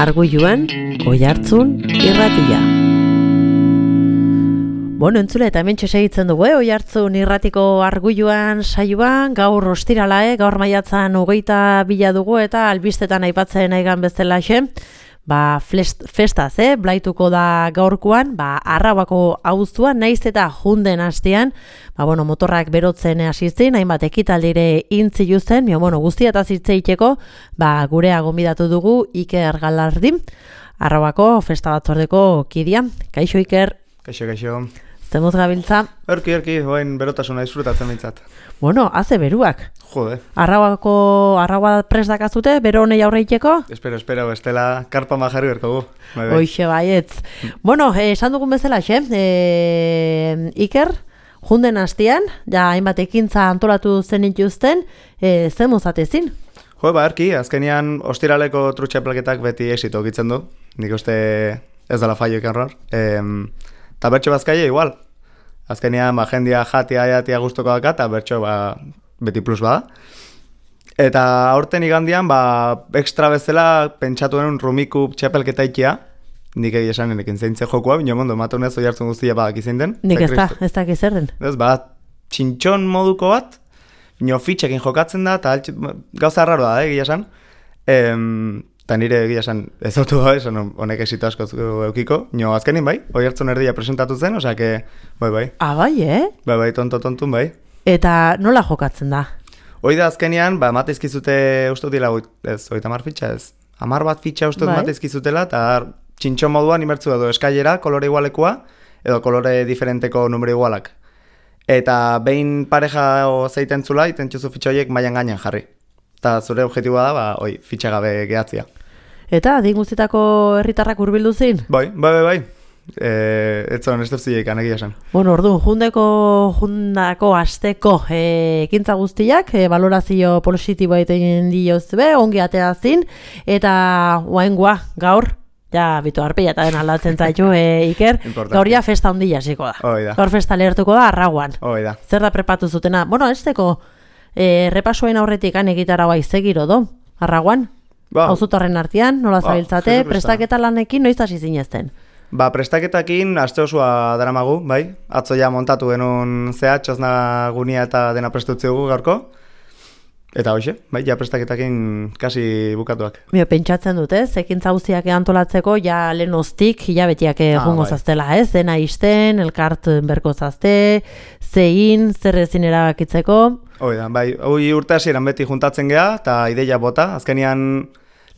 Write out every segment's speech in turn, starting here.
Arguiluan, Oihartzun irratia. Bueno, entzule, eta hemen segitzen dugu, Oihartzun irratiko Arguiluan saioan, gaur ostirala, gaur maiatzan 22 dugu, eta albistetan aipatzen aigan bezalaxe, festaz, blaituko da gaurkoan, Arrauako auzuan, naiz eta junden hastean, motorrak berotzen hasizin, hainbat ekitaldire intziluzten, guztia eta zitzeiteko, gurea gonbidatu dugu Iker Galardi, Arrauako festa batzordeko kidea. Kaixo, Iker? Kaixo. Zemuz gabiltza? Erki, hoen berotasuna disfrutatzen bintzat. Haze beruak. Jode. Arraua prest dakazute, bero honei aurreiteko? Espero, estela karpa majarri berko gu. Hoixe baietz. Esan dugun bezala, Iker, junden hastian, hainbat ekintza antolatu zen ituzten, zemuz atezin? Erki, azkenian ostiraleko trutxapelketak beti exito egitzen du. Nik uste ez dela faio ikan hor. Eta bertso bazkaia igual. Azkenean, jendia jatia guztoko daka, eta bertso beti plus bada. Eta aurten igandian, ekstra bezala pentsatu denun rumiku txapelketa ikia. Nik esan enekin zeintze jokua, bine mondo, ematen ez Oihartzun guztia badak izin den. Nik ez da zer den. Ez, txintxon moduko bat, bine fitxekin jokatzen da, eta gauza raro da, egia esan. Eta nire egia esan ez autu da, esan honek esito asko eukiko. Nio azkenin Oihartzun erdia presentatu zen, osake, bai. Bai, tontun, bai. Eta nola jokatzen da? Hoi da azkenian, mateizkizute uste dira, ez, 30 fitxa ez. 10 bat fitxa uste mateizkizutela, eta txintxon moduan imertzu edo eskailera, kolore igualekoa, edo kolore diferenteko numero igualak. Eta behin pareja zeiten zula, iten txuzu fitxa horiek mailan gainean jarri. Eta zure objektiboa da, fitxa gabe gehatzia. Eta, adin guztietako herritarrak hurbildu zin? Bai. Ez zon, ez duzilek, anegia esan. Orduan, jundako asteko ekintza guztiak, valorazio positiboa egiten diozue, ongi atea zin, eta oaingoa, gaur, bitu arpeia eta den aldatzen zaitu, Iker, gauria festa ondila hasiko da. Gaur festa lehertuko da, Arrauan. Zer da prepatu zutena? Ez teko, repasoen aurretik egitaragoa izegiro do, Arrauan? Auzutarren artean, nola zabiltzate, prestaketa lanekin noiz hasi zinezten? Prestaketakin aste osoa daramagu, bai? Atzo ja montatu genuen txosna gunia eta dena prestutziugu gaurko. Eta hoxe, bai, prestaketakin kasi bukatuak. Pentsatzen dut, ekintza guztiak antolatzeko, lehen oztik, hilabetiak jungo zaztela, dena izten, elkart berko zazte, zein, zer ezin erabakitzeko. Hoi urte hasieran beti juntatzen geha, eta ideia bota, azkenian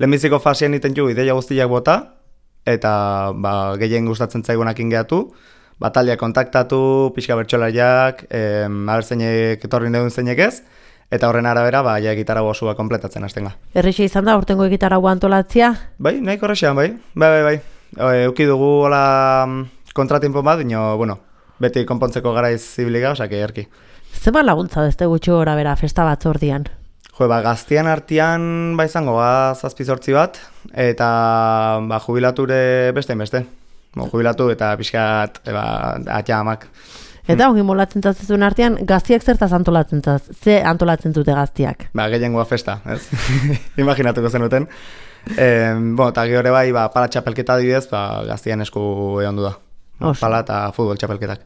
lehenbiziko fasean iten ju ideia guztiak bota, eta gehien gustatzen zaigunakin gehatu, taldeak kontaktatu, pixka bertsolariak, abertzeinek etorrin deun zeinek ez, eta horren arabera, egitarau osua kompletatzen hastenga. Errixe izan da, urtengo egitarau antolatzia? Bai, nahiko horrexean, bai. Euki dugu hola kontratimpo bat, beti konpontzeko garaiz zibiliga, osake erki. Zema laguntza beste gutxi gora bera festa batzordian? Gaztian artean izango zazpizortzi bat, eta jubilature beste. Jubilatu eta pixkat atxamak. Eta ongi molatzen zatzezun artean, gaztiak zertaz antolatzen zaz? Ze antolatzen zute gaztiak? Gehiengoa festa, ez? Imaginatuko zenuten. Eta gehore pala txapelketa dibidez, gaztian esku egon du da. Pala eta futbol txapelketak.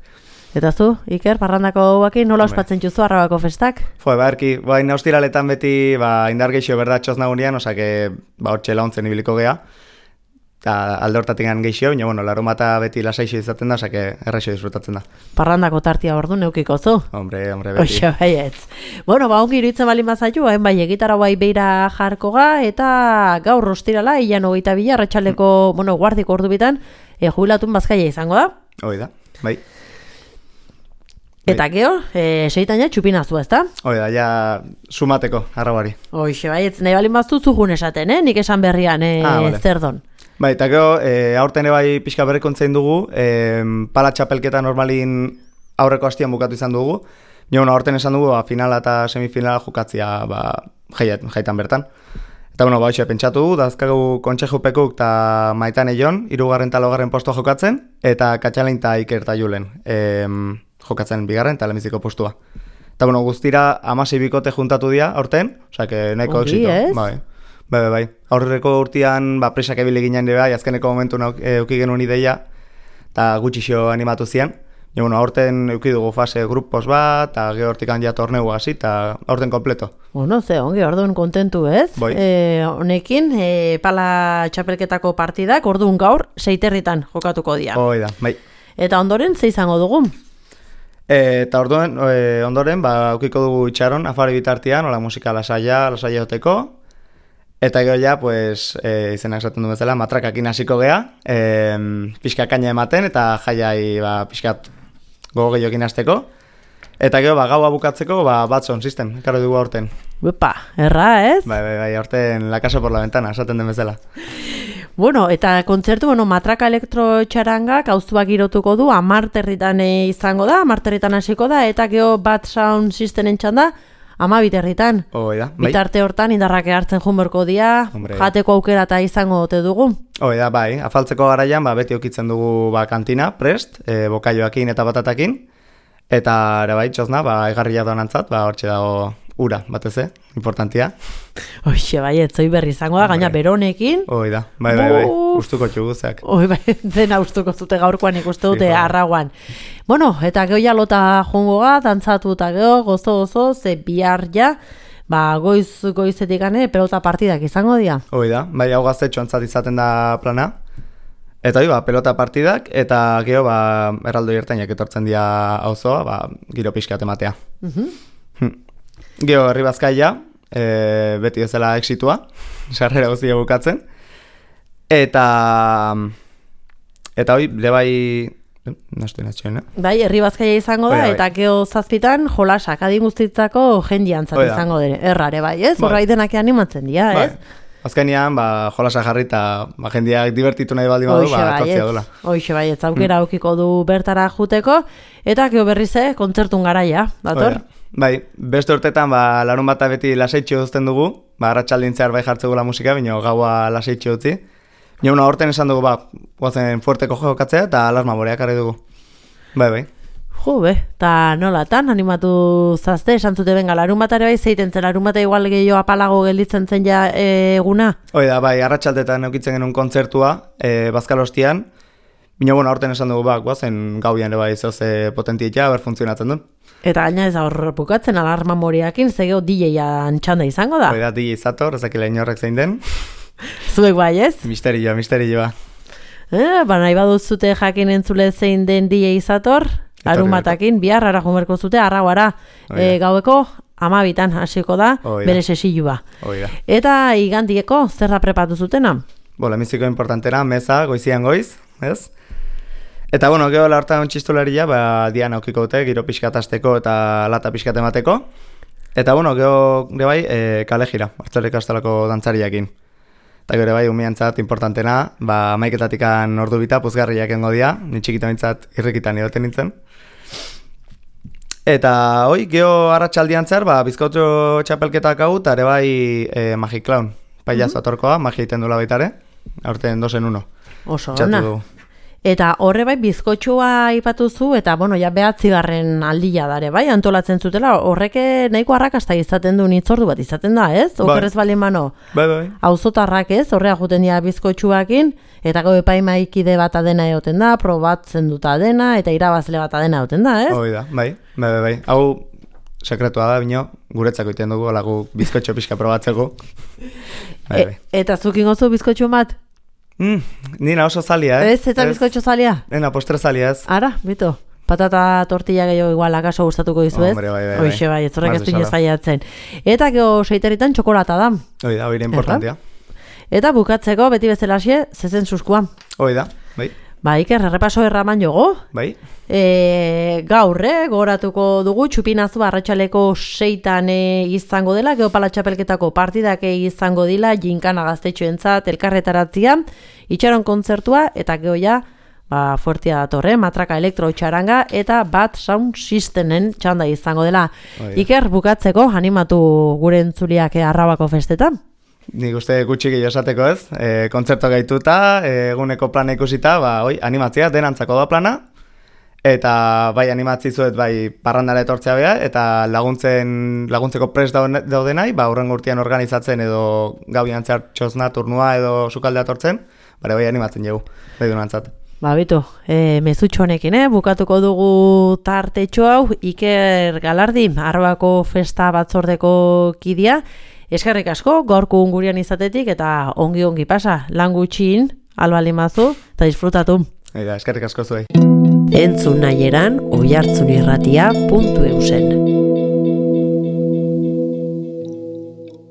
Eta zu, Iker, parrandako guakin, nola ospatzen txuzu Arrauako festak? Erki, ostiraletan beti indar geixo berda txosna gunean, osake hortxe launtzen ibiliko geha. Eta alde hortatik geixo, larumata beti lasaixo izaten da, osake erraixo disfrutatzen da. Parrandako tartia ordu neukiko zu? Hombre, beti. Oixo, baietz. Ongi iruditzen bali mazaitu, egitara beira jarko ga, eta gaur ostirala, ilan 22, arratsaleko, guardiko ordu bitan, jubilatun bazkaia izango da? Hoi da, bai. Eta geho, seitaina txupinazu, ez da? Ja sumateko, Arrauari. Oixe, baietz, nahi balin baztu zuhun esaten, nik esan berrian, zer don. Eta geho, aurten pixka berrikontzein dugu, pala txapelketa normalin aurreko hastian bukatu izan dugu. Aurten esan dugu, finala eta semifinala jokatzia jaitan bertan. Eta pentsatu dugu, dazkagu kontsejupekuk eta Maitan Eion, 3. eta 4. postua jokatzen, eta Katxalein eta Iker eta Julen jokatzen 2. eta lehenbiziko postua. Eta guztira 16 bikote juntatu dira aurten, osea, nahiko exito. Bai. Aurreko urtean, presak ebile ginen bai, azkeneko momentu euki genuen ideia, eta gutxixo animatu zian. Ja, bueno, aurten euki dugu fase grupos bat, eta gero hortikan ja torneu hasi, eta aurten kompleto. Bueno, ongi, orduan kontentu, ez? Bai. Honekin, pala txapelketako partidak, orduan gaur, 6 herritan jokatuko dira. Hoi da, bai. Eta ondoren, ze izango dugu? Eta ondoren, eukiko dugu itxaron, afari bitartian, hola musika lasaia hoteko, eta gero ja, pues, izenak esaten du bezala, matrakakin hasiko gea, pixka kaina ematen, eta jaiai pixkat gogo gehiokin hasteko. Eta gero, gaua bukatzeko, Batson System, ekarri dugu aurten. Uepa, erra, ez? Bai, aurten la casa por la ventana, esaten den bezala. Bueno, eta kontzertu, matraka elektrotxarangak auzuak girotuko du, 10 herritan izango da, 10 herritan hasiko da, eta gero Bat Sound System txanda, 12 herritan. Hoi da, bai. Bitarte hortan indarrak hartzen junberko dia, jateko aukera eta izango ote dugu. Hoi da, bai, afaltzeko garaian, beti okitzen dugu kantina, prest, bokaioakin eta batatakin, eta ere bai, txosna, egarria doanantzat, hortxe dago ura, batez, importantia. Hoxe, bai, etzoi berri izango da, gaina beronekin. Hoi da, bai, ustuko txuguzak. Hoi, bai, dena ustuko zute gaurkoan ikuste dute arraguan. Bueno, eta geho lota jongo ga, dantzatu eta geho, gozo, ze bihar ja, goizetik gane, pelota partidak izango dira. Hoi da, bai, hau gaztetxo antzat izaten da plana. Eta hoi, pelota partidak, eta geho, erraldo ertainak etortzen dira auzoa, giro pixkat ematea. Gero, herri bazkaia, beti bezala exitua, sarrera guztia bukatzen. Eta hoi, bai, bai, herri bazkaia izango da, eta gero zazpitan jolasak, adin guztitzako jendiantzat izango dira. Errare, bai, ez? Horra denak animatzen dira, ez? Azkenean, jolasa jarri eta jendiak divertitu nahi baldin badu, etortzia dola. Hoxe bai, ez aukera aukiko du bertara juteko, eta gero berrize, kontzertun garaia, dator? Bai, beste urtetan larun bata beti lasaitxo duzten dugu, arratsaldin zehar bai jartzegula musika, baina gaua lasaitxo utzi. Baina horten esan dugu, guazen fuerteko jokatzea eta alarma boreak arri dugu. Bai. Jo, eta nolatan, animatu zazte, esan zute benga, larun bat ere bai, zeiten zen, larun bata igual gehiago apalago gelditzen zen ja eguna? Hoi da, bai, arratsaldetan eukitzen genuen kontzertua, Bazkalostian, baina horten esan dugu, guazen gauian ere bai zoze potentietia, funtzionatzen duen. Eta gaina ez hor bukatzen alarma moriakin, zegeo DJ-an txanda izango da? Hoi da, DJ zator, ezakila inorrek zein den. Zuek bai, ez? Misterioa. Nahi baduzute jakin entzule zein den DJ zator, larun batakin, bihar ara jumerko zute, arrauara, gaueko 12 hasiko da, bere sesilua. Eta igandieko zerra prepatu zutena? Lemiziko importantena, meza, goizian goiz, ez? Eta, gero hortan txistularia, dian aukiko dute, giro pixkat asteko eta lata pixkat emateko. Eta, gero bai, kale jira, hartzelik astalako dantzariakin. Eta gero bai, umiantzat importantena, maiketatikan ordu bita, puzgarriak engo dia, nitxikita mintzat irrikitan edoten nintzen. Eta, gero arratsaldian zer, bizkotxo txapelketak hau, eta ere bai, Magic Clown, paiazo atorkoa, magia iten dula baitare, aurten 2-en-1. Oso, ona. Eta horre bai bizkotxua ipatu zu, eta ja 9. aldia dare, bai, antolatzen zutela, horreke nahiko arrakasta izaten du nitzordu bat izaten da, ez? Okerrez balin bano, auzotarrak ez, horrea juten dira bizkotxuakin, eta gau epaimaikide bat adena egoten da, probatzen duta adena, eta irabazle bat adena egoten da, ez? Hoi da, bai. Hau sekretua da, bino, guretzako iten dugu, alagu bizkotxo pixka probatzeko. Eta zukin gozu bizkotxo bat? Nina oso zalia, Ez, eta bizkotxo zalia? Nena, postre zalia, ez. Ara, bito. Patata tortilla gehiago igual akaso gustatuko dizu, ez? Hombre, bai. Hoxe bai, ez horrek ez du inoz gaiatzen. Eta gero 6 herritan txokolata da. Hoi da, hori importantia. Eta bukatzeko, beti bezalaxe, zezen suskua. Hoi da, bai. Iker, errepaso erraman jogo. Bai. Gaur, goratuko dugu, txupinazu arratsaleko 6 izango dela, geopala txapelketako partidak izango dila, jinkana gaztetxoentzat, elkarretaratzia, itxaron kontzertua, eta gehoia, fuertia datorre, matraka elektro-txaranga, eta Bat Sound Systenen txanda izango dela. Iker, bukatzeko, animatu gure entzuliak Arrabako festetan? Nik uste gutxi gehiago esateko ez, kontzerto gaituta, eguneko plana ikusita, animatzea, denantzako da plana, Eta bai animatzizuet bai parrandara etortzea beha, eta laguntzeko prest daudenai, hurrengo urtean organizatzen edo gauian zehar txosna, turnua edo sukaldea tortzen, bai animatzen dugu, bai dunantzat. Bitu, mezutxo honekin, bukatuko dugu tartetxo hau, Iker Galardi, Arbako Festa Batzordeko kidea. Eskerrik asko, gaurko ungurian izatetik, eta ongi pasa, lan gutxin, albalimazu, eta disfrutatu. Eskerrik asko zuei. Entzun nahieran, oihartzunirratia.eusen.